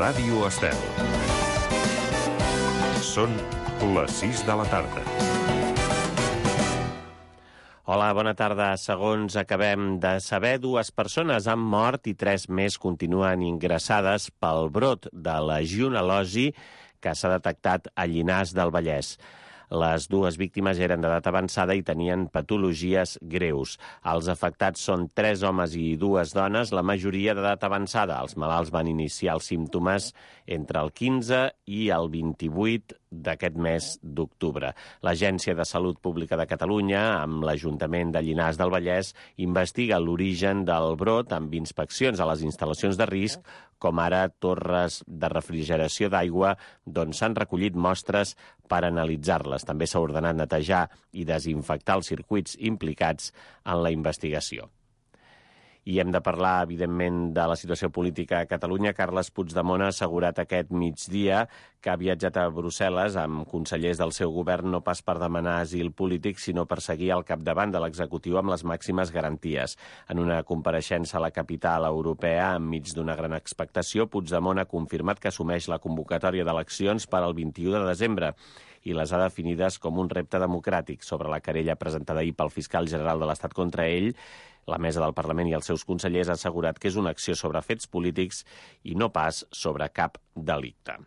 Ràdio Estel. Són les 6 de la tarda. Hola, bona tarda. Segons acabem de saber, 2 persones han mort i 3 més continuen ingressades pel brot de legionel·losi que s'ha detectat a Llinars del Vallès. Les 2 víctimes eren d'edat avançada i tenien patologies greus. Els afectats són 3 homes i 2 dones, la majoria d'edat avançada. Els malalts van iniciar els símptomes entre el 15 i el 28 d'aquest mes d'octubre. L'Agència de Salut Pública de Catalunya, amb l'Ajuntament de Llinars del Vallès, investiga l'origen del brot amb inspeccions a les instal·lacions de risc, com ara torres de refrigeració d'aigua, d'on s'han recollit mostres per analitzar-les. També s'ha ordenat netejar i desinfectar els circuits implicats en la investigació. I hem de parlar, evidentment, de la situació política a Catalunya. Carles Puigdemont ha assegurat aquest migdia que ha viatjat a Brussel·les amb consellers del seu govern no pas per demanar asil polític, sinó per seguir al capdavant de l'executiu amb les màximes garanties. En una compareixença a la capital europea, enmig d'una gran expectació, Puigdemont ha confirmat que assumeix la convocatòria d'eleccions per al 21 de desembre i les ha definides com un repte democràtic. Sobre la querella presentada ahir pel fiscal general de l'Estat contra ell, la mesa del Parlament i els seus consellers ha assegurat que és una acció sobre fets polítics i no pas sobre cap delicte.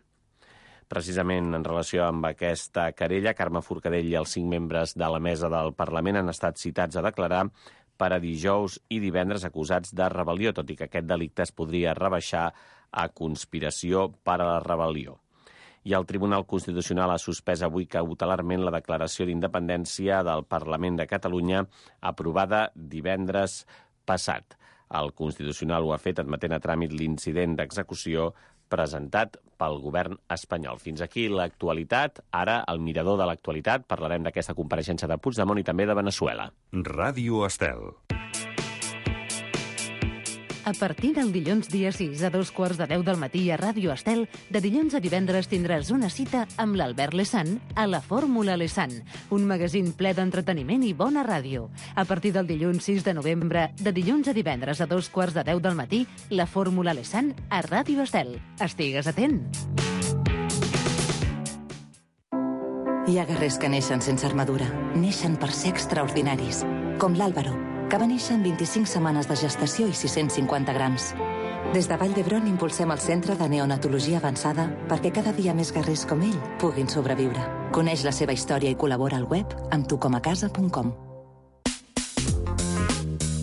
Precisament en relació amb aquesta querella, Carme Forcadell i els 5 membres de la mesa del Parlament han estat citats a declarar per a dijous i divendres acusats de rebel·lió, tot i que aquest delicte es podria rebaixar a conspiració per a la rebel·lió. I el Tribunal Constitucional ha suspès avui cautelarment la declaració d'independència del Parlament de Catalunya aprovada divendres passat. El Constitucional ho ha fet admetent a tràmit l'incident d'execució presentat pel govern espanyol. Fins aquí l'actualitat. Ara, al mirador de l'actualitat, parlarem d'aquesta compareixença de Puigdemont i també de Veneçuela. Ràdio Estel. A partir del dilluns dia 6 a 2:15 del matí a Ràdio Estel, de dilluns a divendres tindràs una cita amb l'Albert Lesan a la Fórmula Lesan, un magazín ple d'entreteniment i bona ràdio. A partir del dilluns 6 de novembre, de dilluns a divendres a 2:15 del matí, la Fórmula Lesan a Ràdio Estel. Estigues atent! Hi ha guerrers que neixen sense armadura. Neixen per ser extraordinaris, com l'Àlvaro, que va néixer en 25 setmanes de gestació i 650 grams. Des de Vall d'Hebron impulsem el Centre de Neonatologia Avançada perquè cada dia més guerrers com ell puguin sobreviure. Coneix la seva història i col·labora al web amb tucomacasa.com.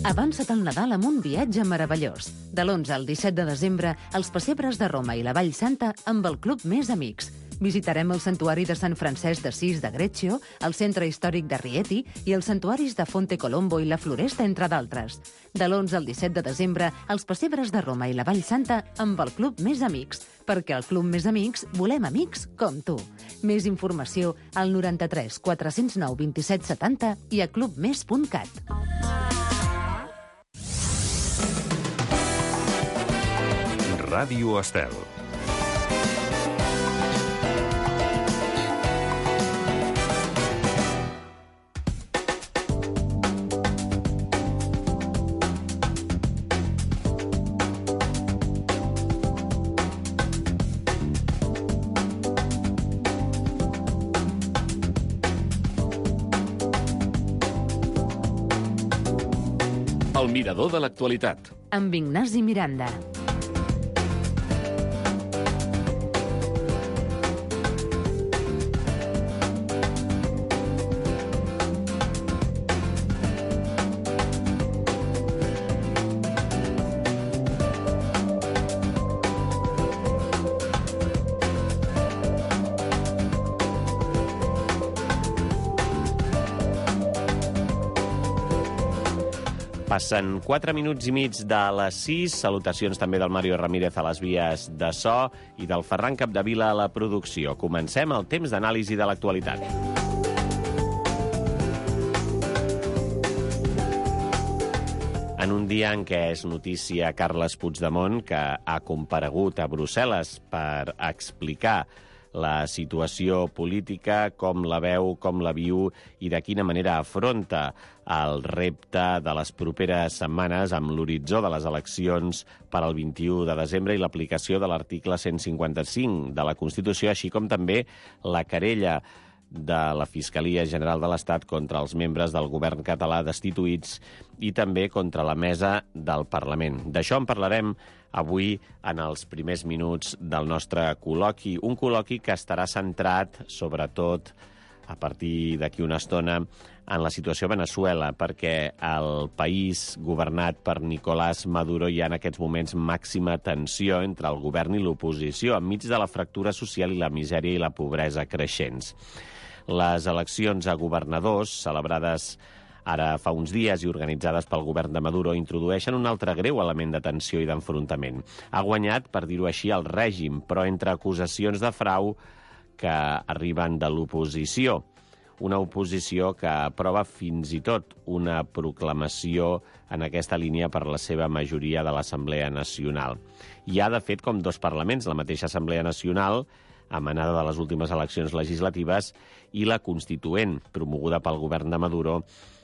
Avança't al Nadal amb un viatge meravellós. De l'11 al 17 de desembre, els pessebres de Roma i la Vall Santa amb el Club Més Amics. Visitarem el Santuari de Sant Francesc d'Assís de Greccio, el Centre Històric de Rieti i els santuaris de Fonte Colombo i la Floresta, entre d'altres. De l'11 al 17 de desembre, els pessebres de Roma i la Vall Santa amb el Club Més Amics, perquè al Club Més Amics volem amics com tu. Més informació al 93 409 27 70 i a clubmes.cat. Ràdio Estel. El mirador de l'actualitat. Amb Ignasi Miranda. Passen 4 minuts i mig de les 6. Salutacions també del Mario Ramírez a les vies de so i del Ferran Capdevila a la producció. Comencem el temps d'anàlisi de l'actualitat. En un dia en què és notícia Carles Puigdemont, que ha comparegut a Brussel·les per explicar la situació política, com la veu, com la viu i de quina manera afronta el repte de les properes setmanes amb l'horitzó de les eleccions per al 21 de desembre i l'aplicació de l'article 155 de la Constitució, així com també la querella de la Fiscalia General de l'Estat contra els membres del govern català destituïts i també contra la mesa del Parlament. D'això en parlarem avui en els primers minuts del nostre col·loqui. Un col·loqui que estarà centrat, sobretot, a partir d'aquí una estona, en la situació a Veneçuela, perquè al país governat per Nicolás Maduro hi ha en aquests moments màxima tensió entre el govern i l'oposició, enmig de la fractura social i la misèria i la pobresa creixents. Les eleccions a governadors, celebrades ara fa uns dies i organitzades pel govern de Maduro, introdueixen un altre greu element de tensió i d'enfrontament. Ha guanyat, per dir-ho així, el règim, però entre acusacions de frau que arriben de l'oposició. Una oposició que aprova fins i tot una proclamació en aquesta línia per la seva majoria de l'Assemblea Nacional. Hi ha, de fet, com dos parlaments, la mateixa Assemblea Nacional, emanada de les últimes eleccions legislatives, i la Constituent, promoguda pel govern de Maduro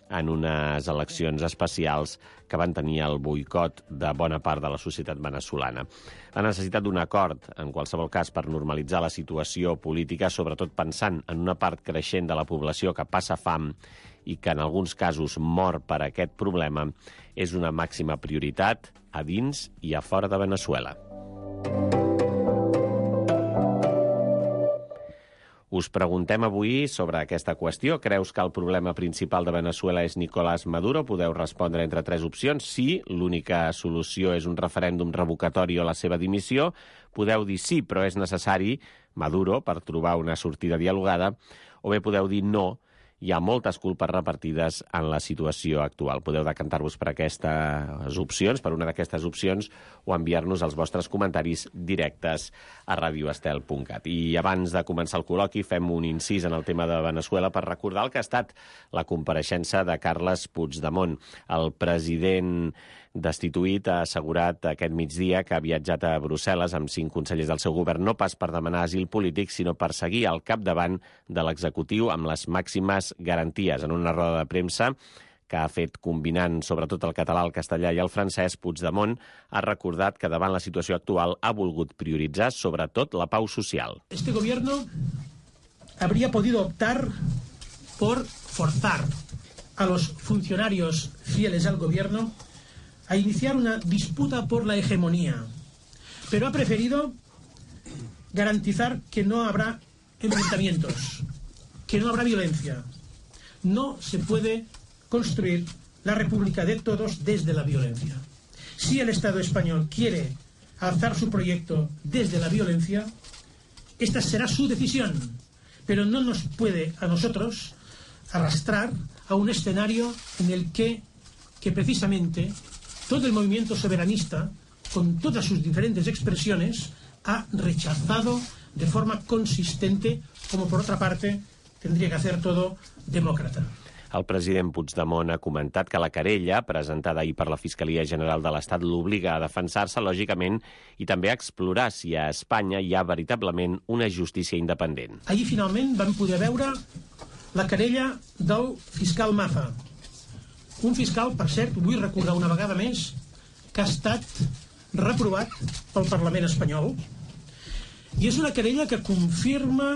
en unes eleccions especials que van tenir el boicot de bona part de la societat venezolana. La necessitat d'un acord, en qualsevol cas, per normalitzar la situació política, sobretot pensant en una part creixent de la població que passa fam i que en alguns casos mor per aquest problema, és una màxima prioritat a dins i a fora de Veneçuela. Us preguntem avui sobre aquesta qüestió. Creus que el problema principal de Veneçuela és Nicolás Maduro? Podeu respondre entre tres opcions. Sí, l'única solució és un referèndum revocatori o la seva dimissió. Podeu dir sí, però és necessari Maduro per trobar una sortida dialogada. O bé podeu dir no, hi ha moltes culpes repartides en la situació actual. Podeu decantar-vos per aquestes opcions, per una d'aquestes opcions, o enviar-nos els vostres comentaris directes a radioestel.cat. I abans de començar el col·loqui, fem un incís en el tema de Veneçuela per recordar el que ha estat la compareixença de Carles Puigdemont. El president destituït ha assegurat aquest migdia que ha viatjat a Brussel·les amb 5 consellers del seu govern, no pas per demanar asil polític, sinó per seguir al capdavant de l'executiu amb les màximes garanties. En una roda de premsa que ha fet combinant sobretot el català, el castellà i el francès, Puigdemont ha recordat que davant la situació actual ha volgut prioritzar sobretot la pau social. Este gobierno habría podido optar por forzar a los funcionarios fieles al gobierno a iniciar una disputa por la hegemonía, pero ha preferido garantizar que no habrá enfrentamientos, que no habrá violencia. No se puede construir la República de todos desde la violencia. Si el Estado español quiere alzar su proyecto desde la violencia, esta será su decisión, pero no nos puede a nosotros arrastrar a un escenario en el que precisamente todo el movimiento soberanista, con todas sus diferentes expresiones, ha rechazado de forma consistente, como por otra parte tendría que hacer todo demócrata. El president Puigdemont ha comentat que la querella, presentada ahir per la Fiscalia General de l'Estat, l'obliga a defensar-se, lògicament, i també a explorar si a Espanya hi ha veritablement una justícia independent. Ahir finalment vam poder veure la querella del fiscal Maza. Un fiscal, per cert, vull recordar una vegada més, que ha estat reprovat pel Parlament espanyol. I és una querella que confirma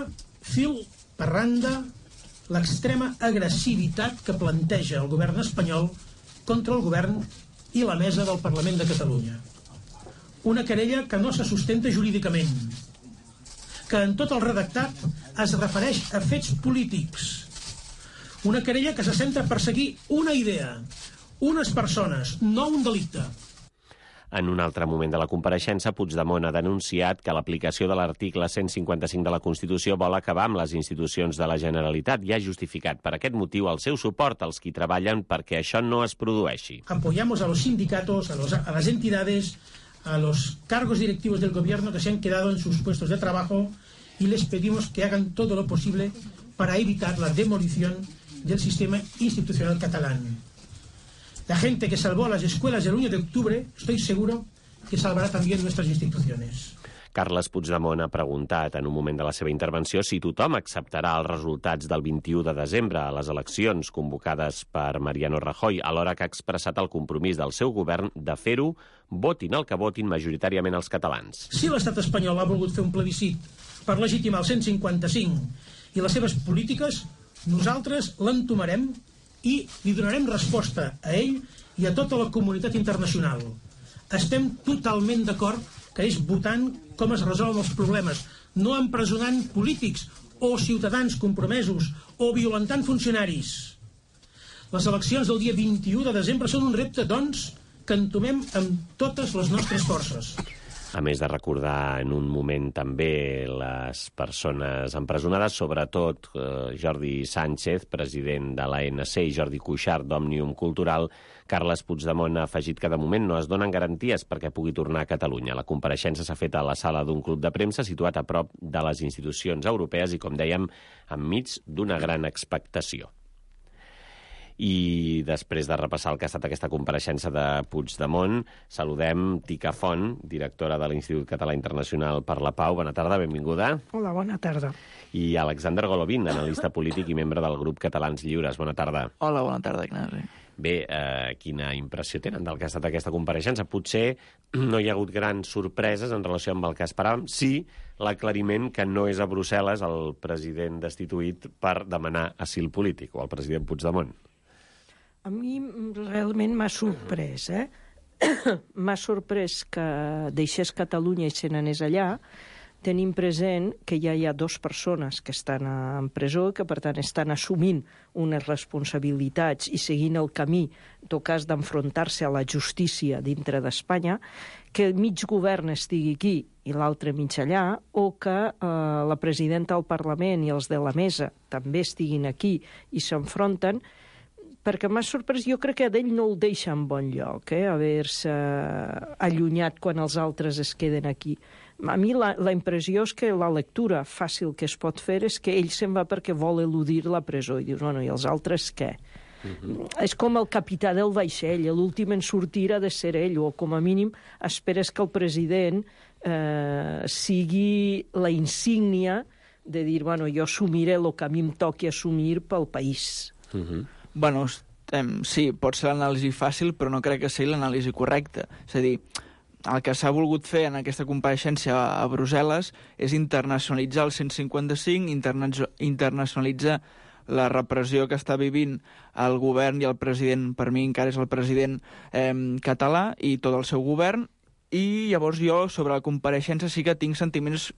fil per randa l'extrema agressivitat que planteja el govern espanyol contra el govern i la mesa del Parlament de Catalunya. Una querella que no se sustenta jurídicament, que en tot el redactat es refereix a fets polítics. Una querella que se centra a perseguir una idea, unes persones, no un delicte. En un altre moment de la compareixença, Puigdemont ha denunciat que l'aplicació de l'article 155 de la Constitució vol acabar amb les institucions de la Generalitat i ha justificat per aquest motiu el seu suport als qui treballen perquè això no es produeixi. Apoyamos a los sindicatos, a las entidades, a los cargos directivos del gobierno que se han quedado en sus puestos de trabajo y les pedimos que hagan todo lo posible para evitar la demolición del sistema institucional catalán. La gente que salvó a las escuelas el 1 de octubre, estoy seguro que salvará también nuestras instituciones. Carles Puigdemont ha preguntat en un moment de la seva intervenció si tothom acceptarà els resultats del 21 de desembre a les eleccions convocades per Mariano Rajoy, alhora que ha expressat el compromís del seu govern de fer-ho, votin el que votin majoritàriament els catalans. Si l'estat espanyol ha volgut fer un plebiscit per legitimar el 155 i les seves polítiques, nosaltres l'entomarem i li donarem resposta a ell i a tota la comunitat internacional. Estem totalment d'acord que és votant com es resolen els problemes, no empresonant polítics o ciutadans compromesos o violentant funcionaris. Les eleccions del dia 21 de desembre són un repte, doncs, que entomem amb totes les nostres forces. A més de recordar en un moment també les persones empresonades, sobretot Jordi Sánchez, president de l'ANC, i Jordi Cuixart, d'Òmnium Cultural, Carles Puigdemont ha afegit que de moment no es donen garanties perquè pugui tornar a Catalunya. La compareixença s'ha fet a la sala d'un club de premsa situat a prop de les institucions europees i, com dèiem, enmig d'una gran expectació. I després de repassar el que ha estat aquesta compareixença de Puigdemont, saludem Tica Font, directora de l'Institut Català Internacional per la Pau. Bona tarda, benvinguda. Hola, bona tarda. I Alexander Golovin, analista polític i membre del grup Catalans Lliures. Bona tarda. Hola, bona tarda, Ignasi. Bé, quina impressió tenen del que ha estat aquesta compareixença? Potser no hi ha hagut grans sorpreses en relació amb el que esperàvem. Sí, l'aclariment que no és a Brussel·les el president destituït per demanar asil polític, o el president Puigdemont. A mi realment m'ha sorprès, M'ha sorprès que deixés Catalunya i se n'anés allà, tenint present que ja hi ha 2 persones que estan en presó i que, per tant, estan assumint unes responsabilitats i seguint el camí, en tot cas, d'enfrontar-se a la justícia dintre d'Espanya, que el mig govern estigui aquí i l'altre mig allà, o que la presidenta del Parlament i els de la mesa també estiguin aquí i s'enfronten, perquè m'ha sorprès, jo crec que d'ell no el deixa en bon lloc, haver-se allunyat quan els altres es queden aquí. A mi la impressió és que la lectura fàcil que es pot fer és que ell se'n va perquè vol eludir la presó, i dius, bueno, i els altres què? És com el capità del vaixell, l'últim en sortir ha de ser ell, o com a mínim esperes que el president sigui la insígnia de dir, bueno, jo assumiré el que a mi em toqui assumir pel país. Bueno, sí, pot ser l'anàlisi fàcil, però no crec que sigui l'anàlisi correcta. És a dir, el que s'ha volgut fer en aquesta compareixença a Brussel·les és internacionalitzar el 155, internacionalitzar la repressió que està vivint el govern i el president, per mi encara és el president català i tot el seu govern, i llavors jo sobre la compareixença sí que tinc sentiments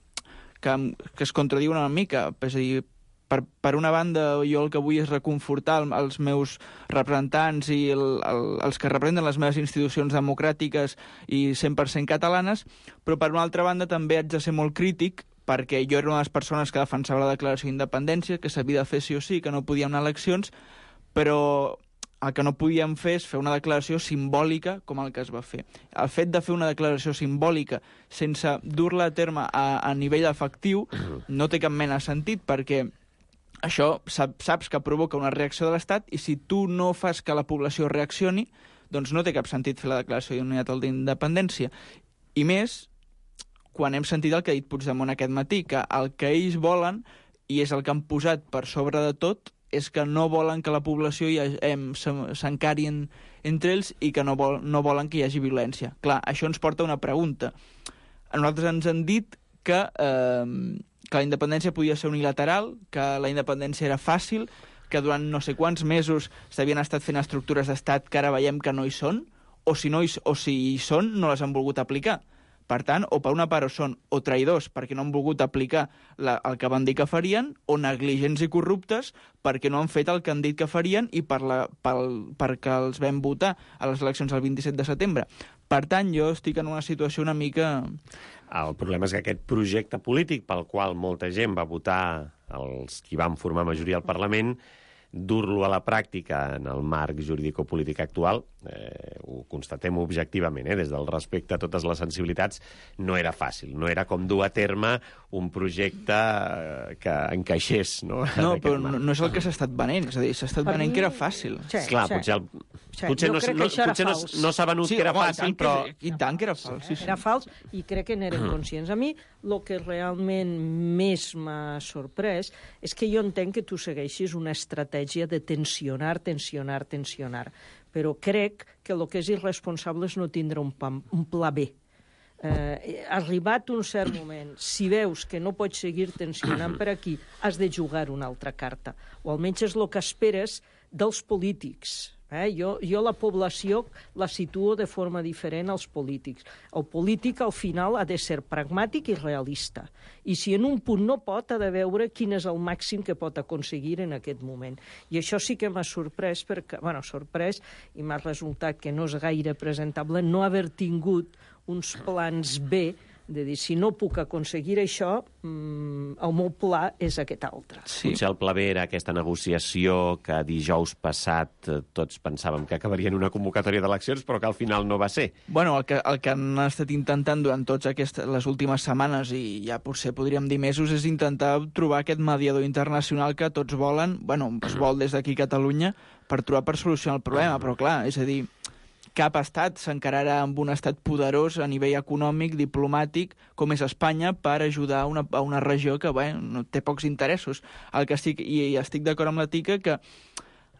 que es contradiuen una mica, és a dir, per una banda, jo el que vull és reconfortar els meus representants i els que representen les meves institucions democràtiques i 100% catalanes, però per una altra banda també haig de ser molt crític perquè jo era una de les persones que defensava la declaració d'independència, que s'havia de fer sí o sí, que no podíem anar a eleccions, però el que no podíem fer és fer una declaració simbòlica com el que es va fer. El fet de fer una declaració simbòlica sense dur-la a terme a nivell efectiu no té cap mena de sentit, perquè això saps que provoca una reacció de l'Estat i si tu no fas que la població reaccioni, doncs no té cap sentit fer la declaració d'unitat d'independència. I més, quan hem sentit el que ha dit Puigdemont aquest matí, que el que ells volen, i és el que han posat per sobre de tot, és que no volen que la població s'encari entre ells i que no volen que hi hagi violència. Clar, això ens porta a una pregunta. A nosaltres ens han dit que la independència podia ser unilateral, que la independència era fàcil, que durant no sé quants mesos s'havien estat fent estructures d'estat que ara veiem que no hi són, o si hi són, no les han volgut aplicar. Per tant, o per una part són o traïdors perquè no han volgut aplicar el que van dir que farien, o negligents i corruptes perquè no han fet el que han dit que farien i perquè els vam votar a les eleccions del 27 de setembre. Per tant, jo estic en una situació una mica... El problema és que aquest projecte polític pel qual molta gent va votar, els qui van formar majoria al Parlament, dur-lo a la pràctica en el marc jurídico-polític actual ho constatem objectivament, des del respecte a totes les sensibilitats, no era fàcil, no era com dur a terme un projecte que encaixés, no? No, però no és el que s'ha estat venent, és a dir, s'ha estat venent que era fàcil. Clar, potser no s'ha venut que era fàcil, però... I tant que era fals. Era fals i crec que n'eren conscients. A mi, el que realment més m'ha sorprès és que jo entenc que tu segueixis una estratègia de tensionar, però crec que el que és irresponsable és no tindre un pla B. Arribat un cert moment, si veus que no pots seguir tensionant per aquí, has de jugar una altra carta, o almenys és el que esperes dels polítics. Jo la població la situo de forma diferent als polítics. El polític, al final, ha de ser pragmàtic i realista. I si en un punt no pot, ha de veure quin és el màxim que pot aconseguir en aquest moment. I això sí que m'ha sorprès, sorprès, i m'ha resultat que no és gaire presentable no haver tingut uns plans B, de dir, si no puc aconseguir això, el meu pla és aquest altre. Sí. Potser el pla B era aquesta negociació que dijous passat tots pensàvem que acabaria en una convocatòria d'eleccions, però que al final no va ser. Bueno, el que han estat intentant durant totes les últimes setmanes, i ja potser podríem dir mesos, és intentar trobar aquest mediador internacional que tots volen, es vol des d'aquí a Catalunya, per solucionar el problema, però clar, és a dir, cap estat s'encararà amb un estat poderós a nivell econòmic, diplomàtic, com és Espanya, per ajudar a una regió que no té pocs interessos. I estic d'acord amb la Tica que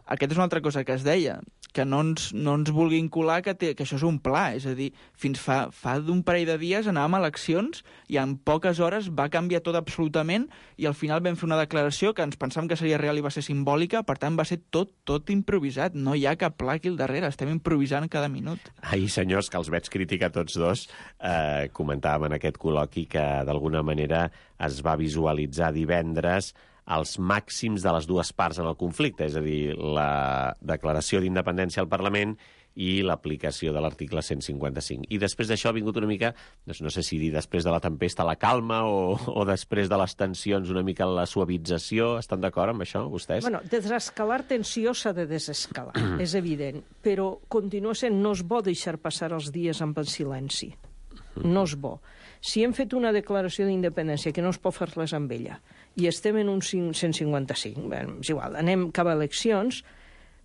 aquesta és una altra cosa que es deia, que no ens vulguin colar que això és un pla. És a dir, fins fa d'un parell de dies anàvem a eleccions i en poques hores va canviar tot absolutament i al final vam fer una declaració que ens pensàvem que seria real i va ser simbòlica, per tant va ser tot improvisat. No hi ha cap pla aquí al darrere, estem improvisant cada minut. Ahir, senyors, que els veig criticar tots dos, comentàvem en aquest col·loqui que d'alguna manera es va visualitzar divendres els màxims de les dues parts en el conflicte, és a dir, la declaració d'independència al Parlament i l'aplicació de l'article 155. I després d'això ha vingut una mica, no sé si dir després de la tempesta la calma o després de les tensions una mica la suavització. Estan d'acord amb això, vostès? Desescalar tensió s'ha de desescalar, és evident, però continua sent, no és bo deixar passar els dies amb el silenci. No és bo. Si hem fet una declaració d'independència que no es pot fer res amb ella i estem en un 155, és igual, anem cap a eleccions,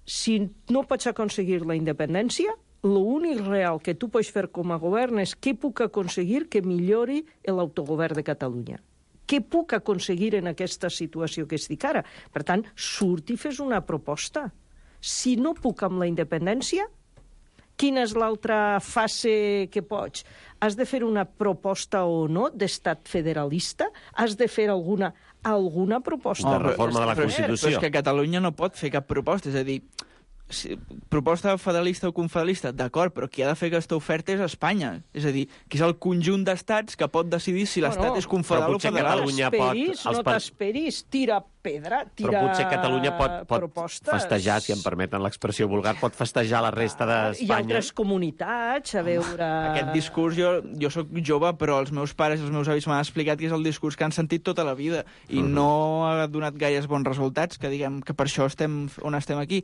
si no pots aconseguir la independència, l'únic real que tu pots fer com a govern és què puc aconseguir que millori l'autogovern de Catalunya. Què puc aconseguir en aquesta situació que estic ara? Per tant, surt i fes una proposta. Si no puc amb la independència, quina és l'altra fase que pots? Has de fer una proposta o no d'estat federalista? Has de fer alguna proposta? De reforma de la Constitució. Però és que Catalunya no pot fer cap proposta, és a dir, proposta federalista o confederalista, d'acord, però qui ha de fer aquesta oferta és Espanya. És a dir, que és el conjunt d'estats que pot decidir si l'estat és confederal o federal. No t'esperis, tira pedra, tira però potser Catalunya pot propostes. festejar, si em permeten l'expressió vulgar, pot festejar la resta d'Espanya. I altres comunitats, a veure... Aquest discurs, jo soc jove, però els meus pares i els meus avis m'han explicat que és el discurs que han sentit tota la vida i no ha donat gaires bons resultats, que diguem que per això estem on estem aquí.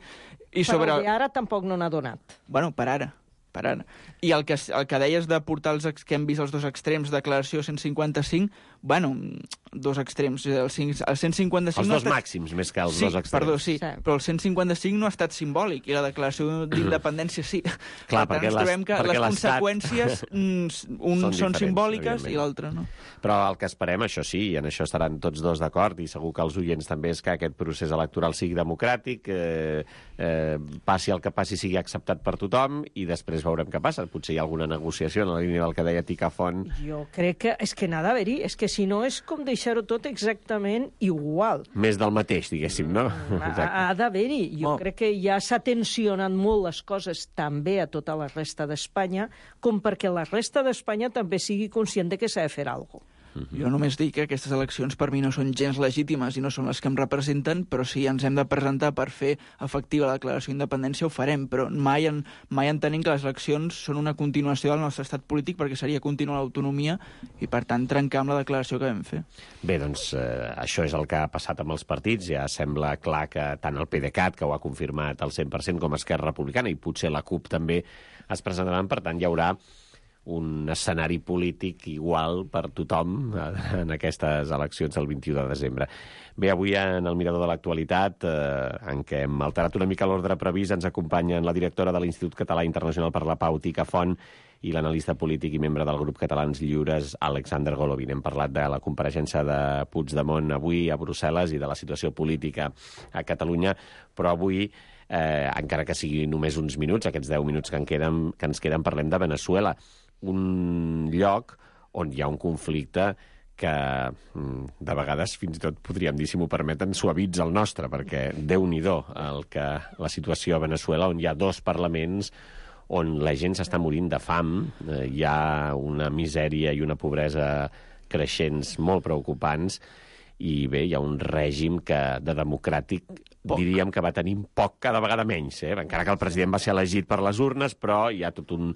Però ara tampoc no n'ha donat. Bueno, per ara. I el que deies de portar que hem vist els dos extrems, declaració 155, dos extrems. El 155 els dos màxims, més que els dos extrems. Perdó, sí, però el 155 no ha estat simbòlic, i la declaració d'independència sí. Clar, per tant, ens trobem que les conseqüències són simbòliques i l'altre no. Però el que esperem, això sí, i en això estaran tots dos d'acord, i segur que els oients també, és que aquest procés electoral sigui democràtic, passi el que passi, sigui acceptat per tothom, i després veurem què passa. Potser hi ha alguna negociació en la línia del que deia Ticafont. Jo crec que és que n'ha d'haver-hi, és que si no és com deixar-ho tot exactament igual. Més del mateix, diguéssim, no? Ha d'haver-hi. Jo crec que ja s'ha tensionat molt les coses també a tota la resta d'Espanya, com perquè la resta d'Espanya també sigui conscient de que s'ha de fer alguna cosa. Jo només dic que aquestes eleccions per mi no són gens legítimes i no són les que em representen, però si ens hem de presentar per fer efectiva la declaració d'independència ho farem, però mai entenem que les eleccions són una continuació del nostre estat polític, perquè seria continuar l'autonomia i, per tant, trencar amb la declaració que vam fer. Bé, doncs això és el que ha passat amb els partits. Ja sembla clar que tant el PDeCAT, que ho ha confirmat al 100%, com Esquerra Republicana, i potser la CUP també es presentaran. Per tant, hi haurà un escenari polític igual per tothom en aquestes eleccions del 21 de desembre. Bé, avui en el Mirador de l'Actualitat, en què hem alterat una mica l'ordre previst, ens acompanyen la directora de l'Institut Català Internacional per la Pau, Tica Font, i l'analista polític i membre del grup Catalans Lliures, Alexander Golovin. Hem parlat de la compareixença de Puigdemont avui a Brussel·les i de la situació política a Catalunya, però avui, encara que sigui només uns minuts, aquests 10 minuts que ens queden, parlem de Veneçuela, un lloc on hi ha un conflicte que de vegades fins i tot podríem dir, si m'ho permeten, suavitza el nostre, perquè Déu-n'hi-do la situació a Veneçuela, on hi ha 2 parlaments, on la gent s'està morint de fam, hi ha una misèria i una pobresa creixents molt preocupants, i bé, hi ha un règim que de democràtic diríem que va tenir poc, cada vegada menys, encara que el president va ser elegit per les urnes, però hi ha tot un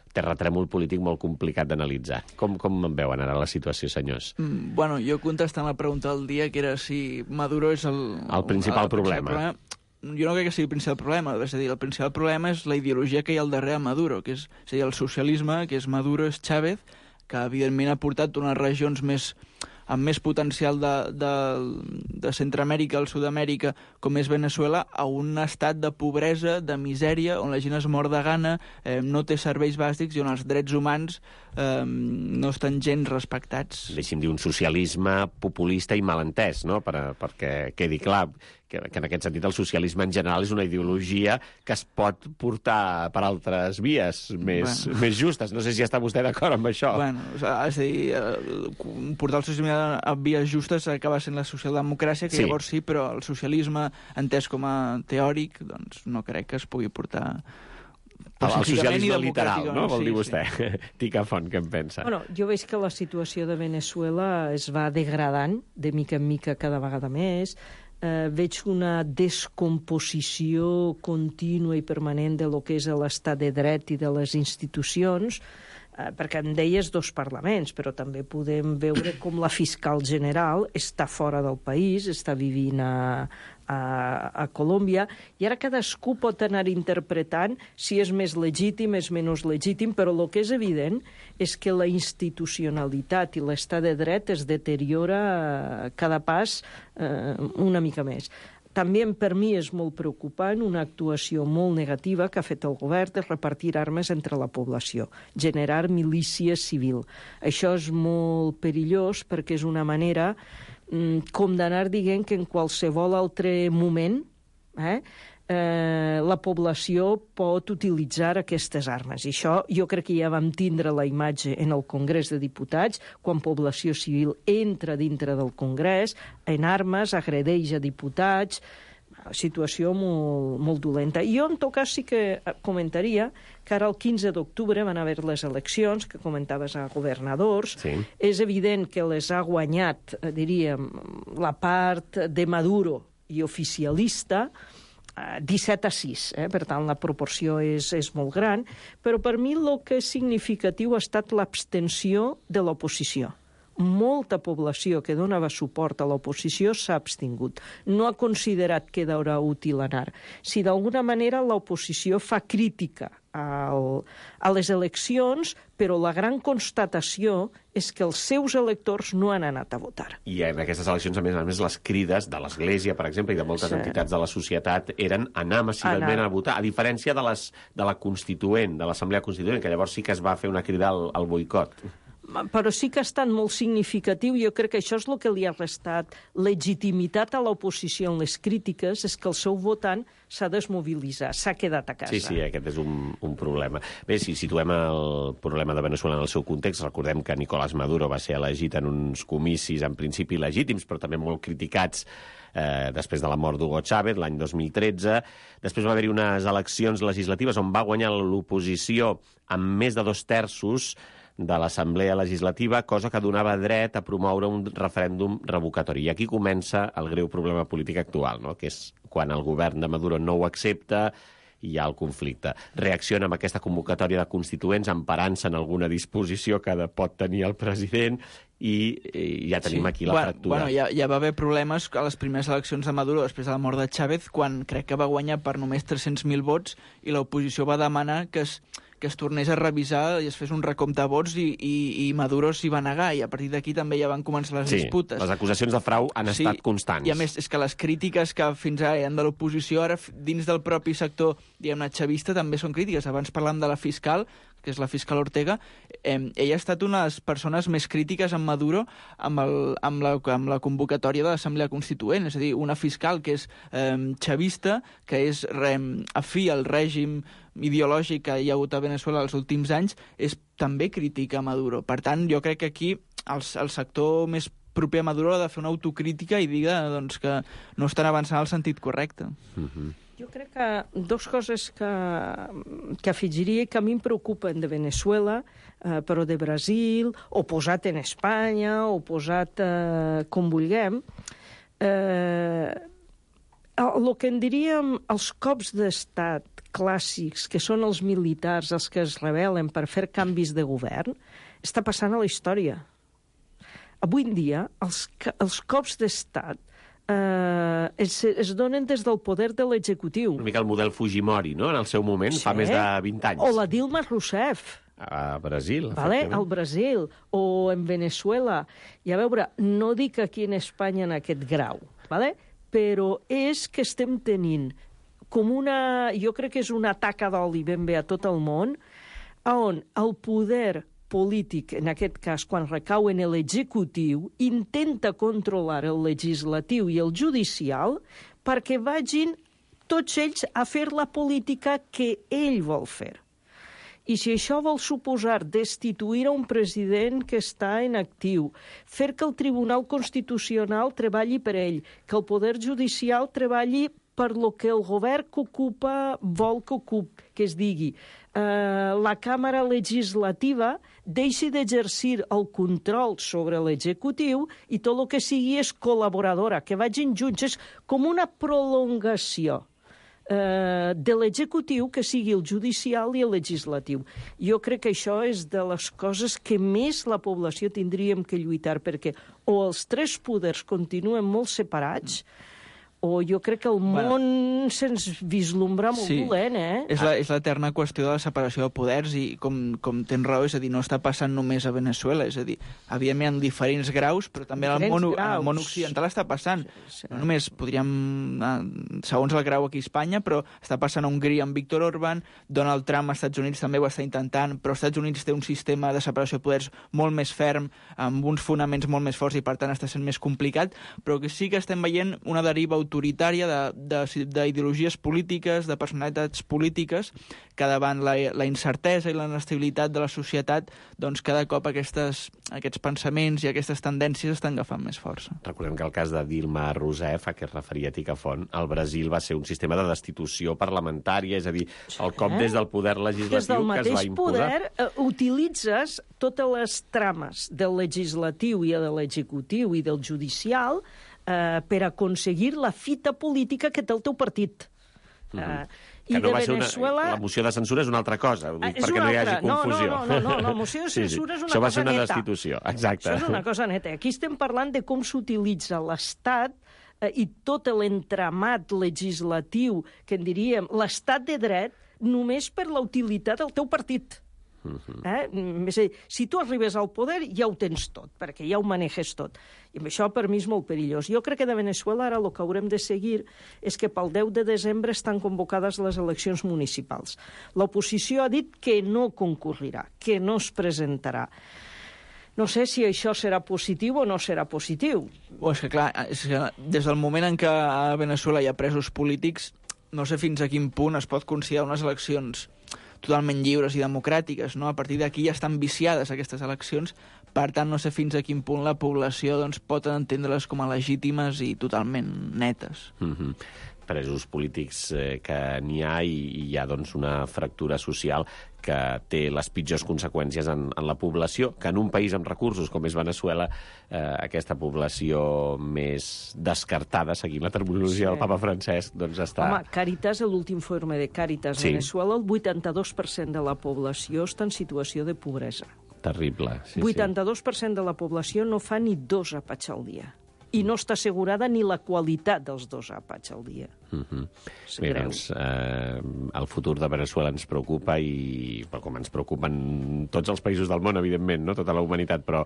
terratrèmol polític molt complicat d'analitzar. Com en veuen ara la situació, senyors? Bueno, jo contestant la pregunta del dia, que era si Maduro és el principal problema. Jo no crec que sigui el principal problema. És a dir, el principal problema és la ideologia que hi ha al darrere de Maduro, que és a dir, el socialisme, que és Maduro, és Chávez, que evidentment ha portat unes regions amb més potencial de Centroamèrica al Sud-amèrica, com és Veneçuela, a un estat de pobresa, de misèria, on la gent es mor de gana, no té serveis bàsics i on els drets humans no estan gens respectats. Deixi'm dir un socialisme populista i malentès, no? Perquè quedi clar que en aquest sentit el socialisme en general és una ideologia que es pot portar per altres vies més justes. No sé si està vostè d'acord amb això. Bueno, és a dir, portar el socialisme a vies justes acaba sent la socialdemocràcia, que llavors sí, però el socialisme, entès com a teòric, doncs no crec que es pugui portar... El socialisme literal, no? Vol dir vostè. Tica Font, què en pensa? Bueno, jo veig que la situació de Veneçuela es va degradant de mica en mica cada vegada més. Veig una descomposició contínua i permanent de lo que és l'estat de dret i de les institucions, perquè em deies 2 parlaments, però també podem veure com la fiscal general està fora del país, està vivint a Colòmbia, i ara cadascú pot anar interpretant si és més legítim, és menys legítim, però el que és evident és que la institucionalitat i l'estat de dret es deteriora cada pas una mica més. També per mi és molt preocupant una actuació molt negativa que ha fet el govern de repartir armes entre la població, generar milícia civil. Això és molt perillós perquè és una manera com d'anar dient que en qualsevol altre moment la població pot utilitzar aquestes armes. I això jo crec que ja vam tindre la imatge en el Congrés de Diputats, quan població civil entra dintre del Congrés, en armes, agredeix a diputats, situació molt dolenta. I jo, en tot cas, sí que comentaria que ara el 15 d'octubre van haver les eleccions, que comentaves a governadors. Sí. És evident que les ha guanyat, diríem, la part de Maduro i oficialista, 17-6, per tant la proporció és molt gran, però per mi el que és significatiu ha estat l'abstenció de l'oposició. Molta població que donava suport a l'oposició s'ha abstingut. No ha considerat que era útil anar. Si d'alguna manera l'oposició fa crítica a les eleccions, però la gran constatació és que els seus electors no han anat a votar. I en aquestes eleccions, a més, les crides de l'Església, per exemple, i de moltes entitats de la societat eren anar massivament a votar, a diferència de la Constituent, de l'Assemblea Constituent, que llavors sí que es va fer una crida al boicot. Però sí que ha estat molt significatiu, jo crec que això és el que li ha restat legitimitat a l'oposició en les crítiques, és que el seu votant s'ha desmobilitzat, s'ha quedat a casa. Sí, aquest és un problema. Bé, si situem el problema de Veneçuela en el seu context, recordem que Nicolás Maduro va ser elegit en uns comicis en principi legítims, però també molt criticats després de la mort d'Hugo Chávez, l'any 2013. Després va haver-hi unes eleccions legislatives on va guanyar l'oposició amb més de 2/3 de l'Assemblea Legislativa, cosa que donava dret a promoure un referèndum revocatori. I aquí comença el greu problema polític actual, no? Que és quan el govern de Maduro no ho accepta i hi ha el conflicte. Reacciona amb aquesta convocatòria de constituents emparant-se en alguna disposició que pot tenir el president i ja tenim aquí la fractura. Bueno, ja va haver problemes a les primeres eleccions de Maduro després de la mort de Chávez, quan crec que va guanyar per només 300.000 vots i l'oposició va demanar que es tornés a revisar i es fes un recompte de vots i Maduro s'hi va negar, i a partir d'aquí també ja van començar les disputes. Les acusacions de frau han estat constants. I a més, és que les crítiques que fins ara hi ha de l'oposició, ara dins del propi sector, diguem-ne, xavista, també són crítiques. Abans parlàvem de la fiscal, que és la fiscal Ortega. Ella ha estat una de les persones més crítiques amb Maduro amb la convocatòria de l'Assemblea Constituent. És a dir, una fiscal que és xavista, que és afí al règim ideològic que hi ha hagut a Venezuela els últims anys, és també crítica a Maduro. Per tant, jo crec que aquí el sector més proper a Maduro ha de fer una autocrítica i dir que no estan avançant en el sentit correcte. Jo crec que dues coses que afegiria que a mi em preocupen de Venezuela, però de Brasil, o posat en Espanya, o posat com vulguem, el que en diríem els cops d'estat clàssics, que són els militars els que es rebel·len per fer canvis de govern, està passant a la història. Avui en dia, els cops d'estat es donen des del poder de l'executiu. Una mica el model Fujimori, no?, en el seu moment, fa més de 20 anys. O la Dilma Rousseff. A Brasil, efectivament. Al Brasil, o en Venezuela. I a veure, no dic aquí en Espanya en aquest grau, però és que estem tenint com jo crec que és una taca d'oli ben bé a tot el món, on el poder polític, en aquest cas, quan recau en l'executiu, intenta controlar el legislatiu i el judicial perquè vagin tots ells a fer la política que ell vol fer. I si això vol suposar destituir a un president que està en actiu, fer que el Tribunal Constitucional treballi per ell, que el Poder Judicial treballi per lo que el govern que ocupa vol que ocupi, que es digui, la Càmera Legislativa deixi d'exercir el control sobre l'executiu i tot el que sigui és col·laboradora, que vagin junts, és com una prolongació de l'executiu que sigui el judicial i el legislatiu. Jo crec que això és de les coses que més la població tindríem que lluitar, perquè o els tres poders continuen molt separats, o jo crec que el món se'ns vislumbra molt dolent, És l'eterna qüestió de la separació de poders i, com tens raó, és a dir, no està passant només a Venezuela, és a dir, evidentment en diferents graus, però també al món occidental està passant. No només podríem, segons el grau aquí a Espanya, però està passant a Hongria amb Viktor Orbán, Donald Trump als Estats Units també ho està intentant, però als Estats Units té un sistema de separació de poders molt més ferm, amb uns fonaments molt més forts i per tant està sent més complicat, però que sí que estem veient una deriva autoritària d'ideologies polítiques, de personalitats polítiques, que davant la incertesa i la inestabilitat de la societat, doncs cada cop aquests pensaments i aquestes tendències estan agafant més força. Recordem que el cas de Dilma Rousseff, a què es referia Ticafont, al Brasil va ser un sistema de destitució parlamentària, és a dir, el cop des del poder legislatiu que es va imposar. Des del mateix poder utilitzes totes les trames del legislatiu i de l'executiu i del judicial per aconseguir la fita política que té el teu partit. Que no va ser la moció de censura és una altra cosa, perquè no hi hagi confusió. No, la moció de censura és una cosa neta. Això va ser una destitució, exacte. Això és una cosa neta. Aquí estem parlant de com s'utilitza l'Estat i tot l'entramat legislatiu, que en diríem l'estat de dret, només per la utilitat del teu partit. Si tu arribes al poder ja ho tens tot, perquè ja ho maneges tot, i això per mi és molt perillós. Jo crec que de Venezuela ara el que haurem de seguir és que pel 10 de desembre estan convocades les eleccions municipals. L'oposició ha dit que no concurrirà, que no es presentarà. No sé si això serà positiu o no serà positiu. És que clar, des del moment en què a Venezuela hi ha presos polítics, no sé fins a quin punt es pot considerar unes eleccions totalment lliures i democràtiques, no? A partir d'aquí ja estan viciades aquestes eleccions, per tant no sé fins a quin punt la població pot entendre-les com a legítimes i totalment netes. presos polítics que n'hi ha, i hi ha doncs, una fractura social que té les pitjors conseqüències en la població, que en un país amb recursos com és Veneçuela, aquesta població més descartada, seguint la terminologia del papa Francesc, doncs està... Home, Càritas, l'últim informe de Càritas Veneçuela, el 82% de la població està en situació de pobresa. Terrible. 82% de la població no fa ni 2 àpats al dia. I no està assegurada ni la qualitat dels 2 àpats al dia. Bé, doncs, el futur de Veneçuela ens preocupa, però com ens preocupen tots els països del món, evidentment, no? Tota la humanitat, però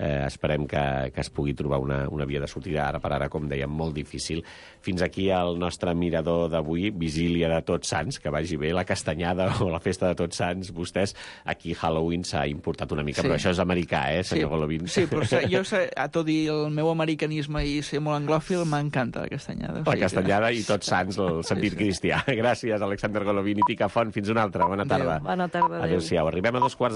esperem que es pugui trobar una via de sortida, ara per ara, com dèiem, molt difícil. Fins aquí el nostre mirador d'avui, vigília de Tots Sants, que vagi bé la castanyada o la festa de Tots Sants. Vostès, aquí Halloween s'ha importat una mica, però això és americà, senyor Golovin? Sí, però jo, a tot i el meu americanisme i ser molt anglòfil, m'encanta la castanyada. La castanyada i Tots Sants, el sentit cristià. Gràcies, Alexander Golovin i Tica Font. Fins una altra. Bona tarda. Bona tarda. Adéu-siau. Arribem a 2:15.